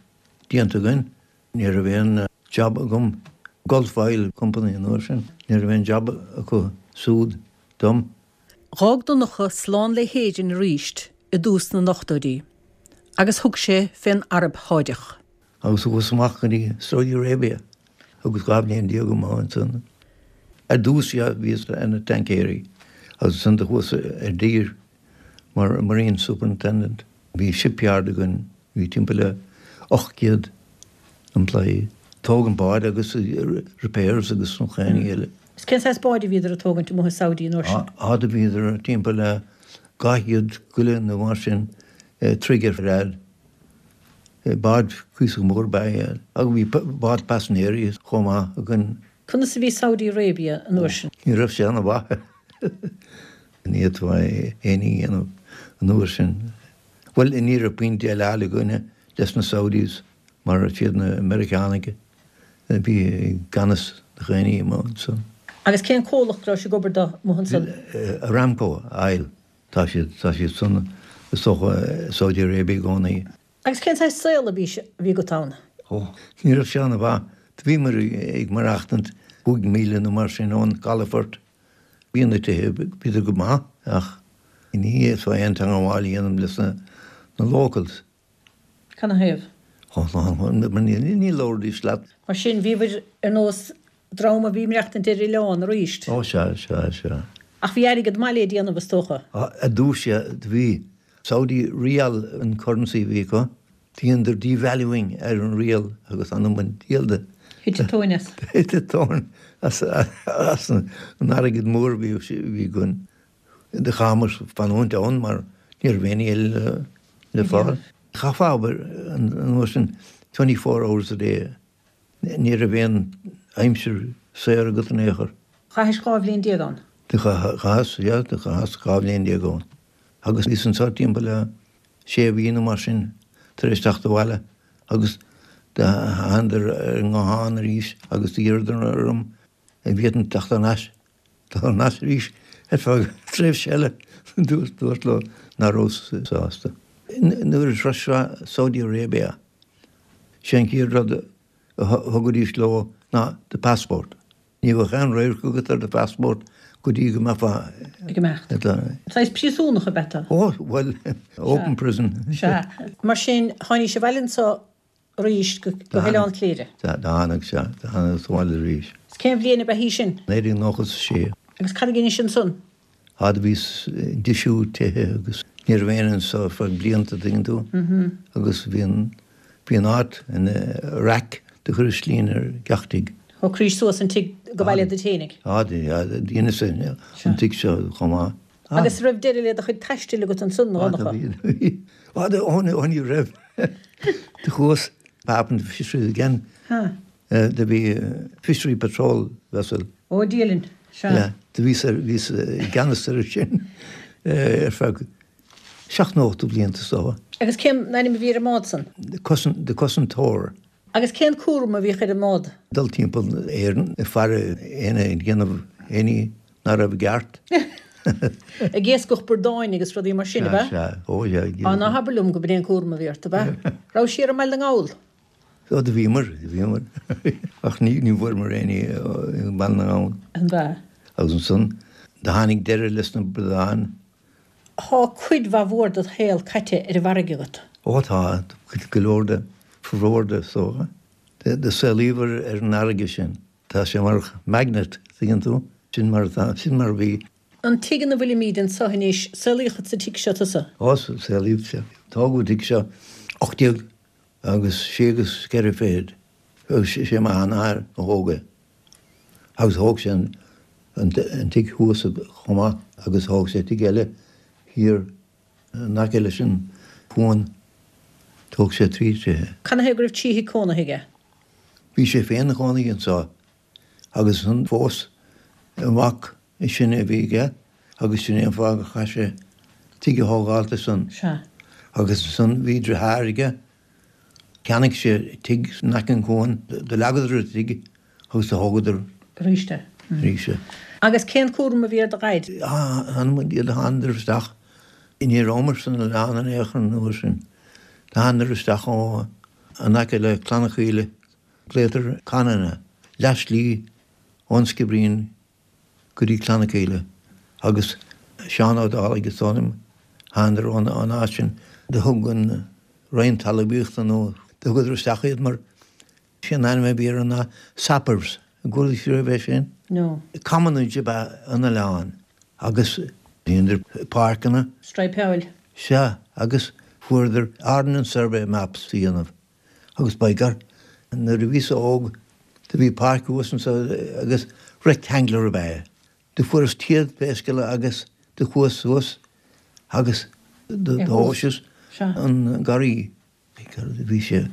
déanta againn ní raibh aon jab agam, Gulf Oil Company an uair sin, ní raibh aon jab acu súd dom. Dh'fhág Donncha slán le hÉirinn arís i dtús na n-ochtóidí agus thug sé fén Araib Sháideach. Agus chuas amach go dtí Saudi Arabia agus 12 bhliain amuigh ansan. Ar dtús, yeah, bhíos ar na tancaeirí agus ansan do chuas ar dtír mar Marine Superintendent. Bhí shipyard againn, bhí timpeall le 800 employee. Tógaint báid agus repairs agus an chaon ní eile. Is cén saghas báid a bhíodar ag tógaint amuigh i Saudi an uair sin? Á do bhíodar timpeall le 200 goile nó mar sin troigh ar fhad. Báid cuíosach mór ab ea iad. Agus bhí bád paisinéirí chomh maith againn. Conas a bhí Saudi Arabia an uair sin? Ní raibh sé ana mhaith. Ní fhéadfá aon ní a dhéanamh an uair sin. Bhuel, ní raibh puinn déileáil againne leis na Saudis mar is iad na Meiriceánaigh a bhí i gceannas na chaon ní amuigh ansan. Agus cén comhlacht a raibh sibh ag obair dó amuigh ansan? Aramco Oil. Tá siad, tá siad san, is dócha, i Saudi Arabia i gcónaí. Agus cén saghas saol a bhí, a bhí agat ann? Ó, ní raibh sé ana-mhaith. Do bhíomar ag maireachtaint 5 míle nó mar sin ón gcalafort. Bhí na tithe, bhíodar go maith ach ní fhéadfá aon teangmháil a dhéanamh leis na locals. Canathaobh? Ó, ní labhraídís leat. Mar sin, bhíobhair ar nós dream a bhí ag maireachtaint ar oileán arís. Ó, sea, sea, sea. Ach bhí airgead maith le déanamh, is dócha. Ar dtús, sea, do bhí. Saudi Riyal an currency a bhí acu. Dheineadar devaluing ar an Riyal agus anam an diabhail de. Thit an tóin as. Thit an tóin as an airgead mór a bhí againn. Do chaitheamar fanúint ann mar ní raibh aon ní eile le fáil. Chaithfeá obair an uair sin 24 hours a day. Ní raibh aon aimsir saor agat in aon chor. Chaithis 12 bhliain ann? Do chaitheas, yeah, do chaitheas 12 bhliain ann. Agus bhíos anso timpeall le sé mhí nó mar sin tar éis teacht abhaile agus do thánadar ar an nguthán arís agus d'iarradar orm an bhféadfainn teacht thar n-ais, thar n-ais arís ar feadh tréimhse eile. Dúrt leo nach rabhas sásta. Nuair a shroisfeá Saudi Arabia, sé an chéad rud a thugaidís leo ná do passport. Ní bheadh aon radharc agat ar do phassport go dtí go mbeifeá ag imeacht. Saghas príosúnach ab ea tú? Ó, bhuel, open prison. Sea. Mar sin, tháinís abhaile anso arís go hOileán Cléire. Tháinig, sea, tháinig abhaile arís. Is cén bhliain ab ea í sin? 1996. Agus cad a dheinis ansan? Á do bhíos ag deisiú tithe agus ní raibh éinne anso ar feadh blianta, tuigeann tú, agus bhí an, bhí an áit ina raic do chuireas slín ar gach tigh. Shocraís suas an tigh go baile duit fhéinig? Á, dheineas an tigh seo chomh maith. Agus raibh deireadh le do chuid taistil agat ansan, a Dhonncha? Á, do bhí. Á, ní raibh. Do chuas Department of Fisheries again. Do bhí Fishery Patrol vessel. Ó, Dia linn. Sea. Yeah. Do bhíos ar, bhíos i gceannas air sin ar feadh seacht nó ocht de bhlianta is dócha. Agus cén ainm a bhí ar an mbád san? The Cosantóir. Agus cén cúram a bhíodh ar an mbád? Dul timpeall Éireann ag faire éinne ag déanamh aon ní nach raibh i gceart. Ag iascach bradáin agus rudaí mar sin, ab ea? Sea, sea. Ó, sea. Á, ná habair liom go b'in é an cúram a bhí ort, ab ea? Raibh siar i mBaile na nGall? Ó, do bhíomar, do bhíomar. Ach ní, ní bhfuaireamar aon ní i mBaile na nGall. An ea? Agus ansan, do tháinig deireadh leis na bradáin. Tá cuid mhaith mhór dod shaol caite ar an bhfarraige agat. Ó tá, go leor de, formhór de, is dócha. Do saolaíomar ar an fharraige sin. Tá sé mar magnet, tuigeann tú? Sin mar atá, sin mar a bhí. An tigh ina bhfuilimíd anso anois, saolaíodh sa tigh seo tusa? Ó, saolaíodh, sea. Tógadh an tigh seo 18 agus sé agus ceithre fichid. Agus sé m'athair a thóg é. Agus thóg sé an tigh thuas chomh maith agus thóg sé tigh eile thiar in aice leis an chuan. Thóg sé trí tithe. Canathaobh go raibh tithe cónaithe aige? Bhí sé féin ina chónaí anseo agus ansan phós an mac is sine a bhí aige agus sin é an fáth gur chaith sé tigh a thógáilt ansan. Sea. Agus ansan bhí driotháir aige Cheannaigh sé tigh in aice an chuain. Do leagadar an tigh agus do thógadar. arís é. Arís é. Agus cén cúram a bhí ar do dhaid? Anam an diabhail, do thánadar isteach. Ní rabhamar san oileán in aon chor an uair sin. Do thánadar isteach ó in aice le Clanna Chaoile. Glaotar Canana, leath slí ón Sciobairín go dtí Clanna Caoile agus Seán Ó Dálaigh is dóigh liom, thánadar ón áit sin. Do thug an Roinn Talmhaíochta nó do thugadar isteach iad mar sé an ainm a bhí orthu ná Sappers. An gcuala sibh riamh é sin? No. Commonage ab ea an oileán agus dheineadar páirceanna. Straidhpeáil. Sea, agus fuaireadar Ordnance Survey maps a dhéanamh agus by God, nuair a bhíos óg do bhí páirc thuas anso agus rectangular ab ea é. Do fuaireas téad pé scéal é agus do chuas suas agus do thomhaiseas an garraí. Bhí sé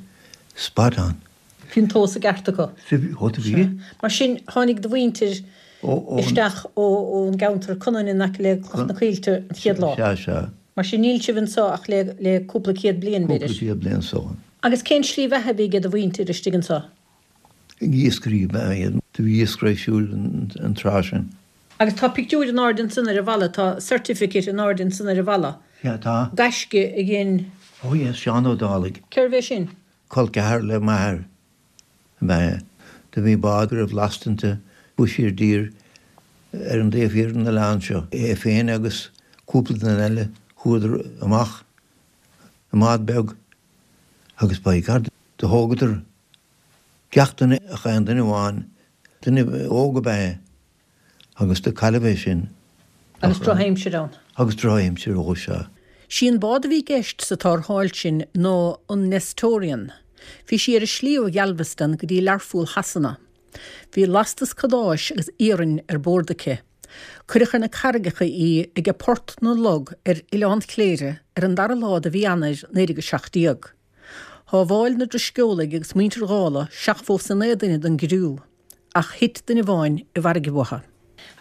spot on. Bhí an tomhas i gceart acu. Ó do bhí. Mar sin, tháinig do mhuintir isteach ón gceantar Conainn in aice le Cloich na Coillte an chéad lá. Sea, sea. Mar sin, níl sibh anseo ach le cúpla céad bliain, b'fhéidir. Cúpla céad bliain so. Agus cén slí bheatha a bhí ag do mhuintir istigh anseo? Iascairí ab ea iad. Do bhí iascairí ar siúl an tráth sin. Agus tá pictiúr in airde ansan ar an bhalla, tá certificate in airde ansan ar an bhalla. Sea, tá. Gaisce a dhein. Oh yes, Seán Ó Dálaigh. Cérbh é sin? Col ceathar le m'athair ab ea é. Do bhí bád a raibh lasta inti, chuaigh sí i dtír ar an dtaobh thiar den oileán seo. É féin agus cúpla duine eile chuadar amach i mbád beag agus by God do thógadar Gach duine ach aon duine amháin, duine óg ab ea é agus do cailleadh é sin. Agus drochaimsir ann. Agus drochaimsir, ó sea. Sí an bád a bhí i gceist sa tarrtháil sin ná an Nestorian. Bhí sí ar a slí ó Ghalveston go dtí Learpholl Shasana. Bhí lastas cadáis agus iarainn ar bord aici. Cuireadh ar na carraigeacha í aige Port na Log ar Oileán Chléire ar an dara lá de mhí Eanáir 1917. Shábháil na Drisceolaigh agus muintir Dhálaigh 79 duine den gcriú, ach thit duine amháin i bhfarraige uathu.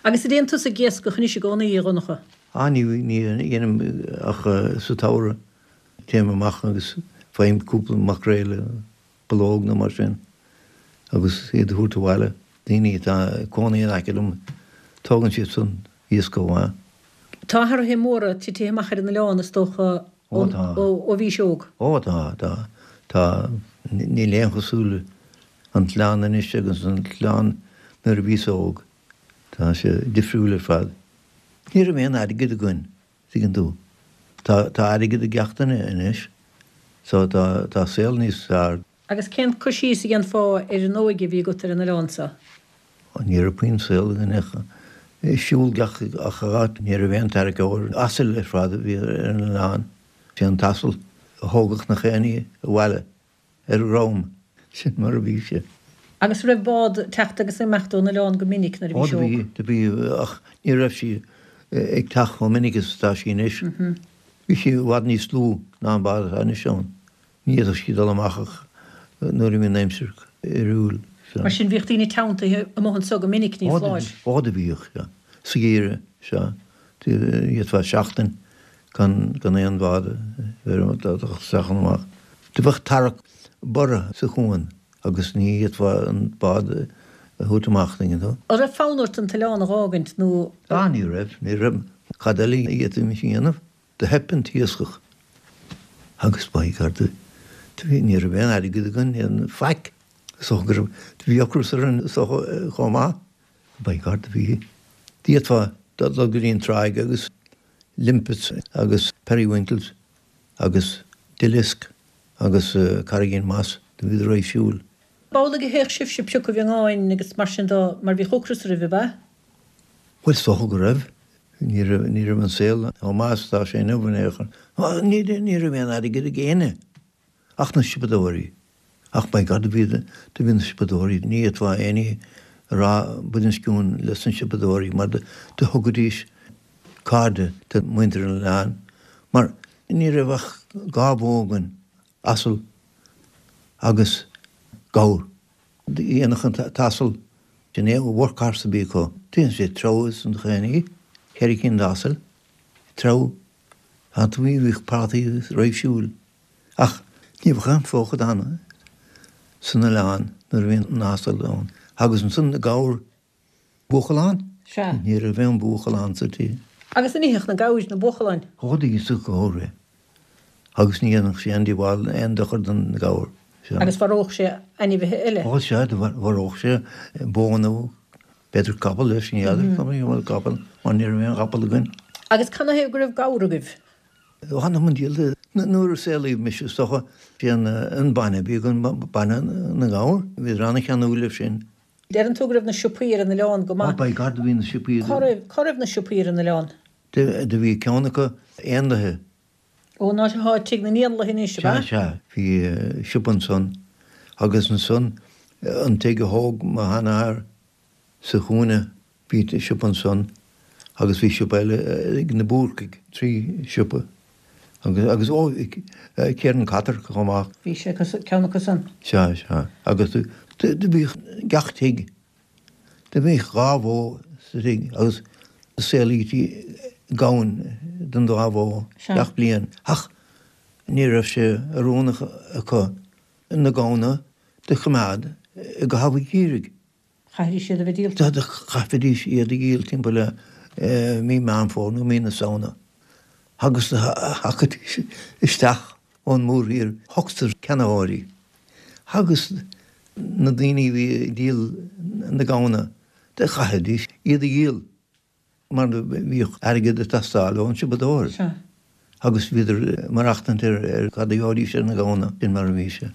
Agus an dtéann tusa ag iascach anois i gcónaí, a Dhonncha? Á, ní dhéanaim ach sa tsamhradh. Téim amach agus faighim cúpla maicréal, bulóg nó mar sin agus iad a thabhairt abhaile. Daoine atá ag cónaí in aice liom, tógann siad san iasc chomh maith. Tá athruithe móra titithe amach ar an oileán, is dócha, Ó tá. ó bhís óg. Ó tá, tá, tá, níl aon chosúil an t-oileán anois agus an t-oileán nuair a bhíos óg. Tá sé difriúil ar fad. Ní raibh aon airgead againn, tuigeann tú. Tá, tá airgead ag gach duine anois so tá, tá saol níos fearr. Agus cén cur síos a dhéanfá ar an óige a bhí agat ar an oileán seo? Ní raibh puinn saol againn ach siúl gach áit. Ní raibh aon tarraiceoir. Asail ar fad a bhí ar an oileán. Sé an t-asal a thógadh nach éinne abhaile ar a dhrom. Sin mar a bhí sé. Agus raibh bád ag teacht agus ag imeacht ón oileán go minic nuair a bhís óg? Ó do bhí, do bhí ach ní raibh sí ag teacht chomh minic is atá sí anois. Bhí sí i bhfad níos lú ná an bád atá anois ann. Ní fhéadfadh sí dul amach ach nuair a bhí an aimsir oiriúil. Mar sin bhíodh daoine teanntaithe amuigh anso go minic, ní foláir. Ó do bhíodh, sea. Sa gheimhreadh, sea. D'fhéadfá seachtain gan aon bhád a bheith ag dul isteach nó amach. Do bheadh tarrac borrtha sa chuan agus ní fhéadfá an bád a thabhairt amach, tuigeann tú. An raibh fonn ort an t-oileán a dh'fhágaint nó? Á, ní raibh, ní raibh. Cad eile a d'fhéadfaimis a dhéanamh? Do theip an t-iascach agus by God do bhí, ní raibh aon airgead againn, aon faic. Is dócha go raibh, do bhí ocras orainn is dócha chomh maith. By God do bhí, d'fhéadfá dul go dtí an tráigh agus limpets agus periwinkles agus duileasc agus carraigín moss, do bhíodar ar siúl. B'amhlaidh a théadh sibhse ag piocadh miongáin agus mar sin do, mar bhíodh ocras oraibh, ab ea? Bhuel, is dócha go raibh. Ní raibh, ní raibh an saol chomh maith is atá sé inniu in aon chor. Ní, ní raibh aon airgead ag éinne ach na siopadóirí. Ach by God, do bhí, do bhí na siopadóirí, ní fhéadfá éinne a rá buidéal sciúin leis na siopadóirí mar do, do thugaidís cairde do mhuintir an oileáin mar ní raibh ach dhá bhó againn, asal agus gabhar. Dhéanfadh an t-asal sin é workhorse a bhí acu. Déanann sé treabhadh san chaonaí, cheithre cinn d'asail, treabhadh. Tá tú bhíodh prátaí roimh siúil. Ach ní bheadh aon fóchadán san oileán nuair a bhí an asal ann. Agus ansan na gabhair Buachalán? Sea. Ní raibh aon bhuachalán sa tír. Agus an itheadh na gabhair na buachalláin? Ó, d'itheadh gabhair é. Agus ní dhéanfadh sé aon díobháil, aon dochar don ghabhar. Sea. Agus mharódh sé ainmhithe eile? Ó, sea, mharódh sé bó nó b'fhéidir capall leis, ní fheadar an bhfuil capall, mar ní raibh aon chapall againn. Agus canathaobh go raibh gabhar agaibh? Th'anam 'on diabhal, nuair a saolaíodh mise is dócha, bhí an bainne, bhí againn bainne na ngabhar, bhíodar an-cheanúil leis sin. Deireann tú go raibh na siopaí ar an oileán go maith. Oh by God do bhí na siopaí. Cá raibh, cá raibh na siopaí ar an oileán? Do bhí ceann acu, éanlaithe. Ó, an áit atá Tigh na nÉanlaithe anois, ab ea? Sea, sea. Bhí siopa ansan agus ansan an tigh a thóg mo sheanathair sa chúinne, bhí siopa ansan agus bhí siopa eile ag na Búrcaigh, 3 siopa. Agus, agus, ó, Kieran Cotter chomh maith. Bhí sé acu, ceann acu san. Sea, sea. Agus do bhíodh gach tigh Do bhíodh 2 bhó sa tigh agus saolaítí gamhain don dá bhó gach bliain ach ní raibh sé oiriúnach acu na gamhna do choimeád i gcaitheamh an gheimhridh. Chaithfidís iad a bheith díolta. Chaithfidís iad a dhíol timpeall le mí Meán Fómhair nó mí na Samhna agus do thagaidís isteach ón mórthír ochtar ceannaitheoirí. Agus na daoine a bhí ag díol na gamhna, do chaithfidís iad a dhíol mar bhíodh airgead ag teastáil ón siopadóir. Agus bhíodar ag maireachtaint ar cad a gheobhaidís ar na gamhna, sin mar a bhí sé.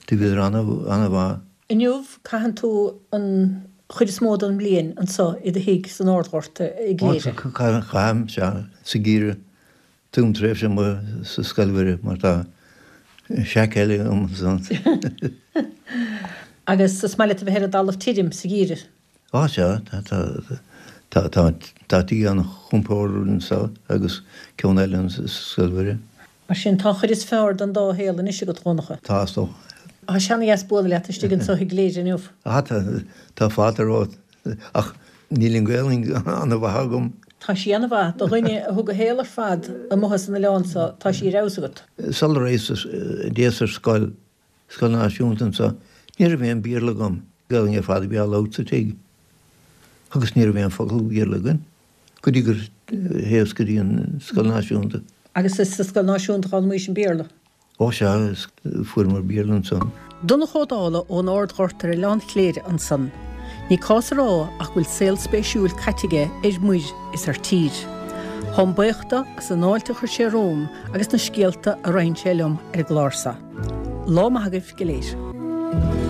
Do bhíodar ana-mhaith. Inniu, caitheann tú an chuid is mó den mbliain anso i do thigh san Ardghort i gCléire. Caithim, sea, sa gheimhreadh. Tugaim tréimhse amuigh sa Scoil Mhuire mar tá shack eile agam ansan. Agus is maith leat a bheith ar an dtalamh tirim sa gheimhreadh? Á sea, tá, tá, tá tigh an-chompordach anseo agus ceann eile sa Scoil Mhuire. Mar sin, tá an chuid is fearr den dá shaol anois agat, a Dhonncha. Tá, is dócha. Tá sé ana-dheas bualadh leat istigh anso i gCléire inniu. Á tá, tá fáilte romhat. Ach níl an Ghaelainn ana-mhaith agam. Tá sí ana-mhaith. Do dhuine a thug a shaol ar fad amuigh san oileán so, tá sí ar fheabhas agat. Sula dtéas ar scoil, Scoil Náisiúnta anso, ní raibh aon Bhéarla agam. Gaelainn ar fad a bhí á labhairt sa tigh. Agus ní raibh aon focal Béarla againn go dtí gur théas go dtí an Scoil Náisiúnta. Agus is sa Scoil Náisiúnta a d'fhoghlaimís an Béarla? Ó sea, fuaireamar Béarla ansan. Donncha Ó Dálaigh ón Ard-Ghort ar Oileán Chléire ansan. Ní cás a rá ach go bhfuil saol spéisiúil caite aige ar muir is ar tír. Táim buíoch do as an fháilte a chuir sé romham agus na scéalta a roinn sé liom ar an gclár seo. Lá maith agaibh go léir.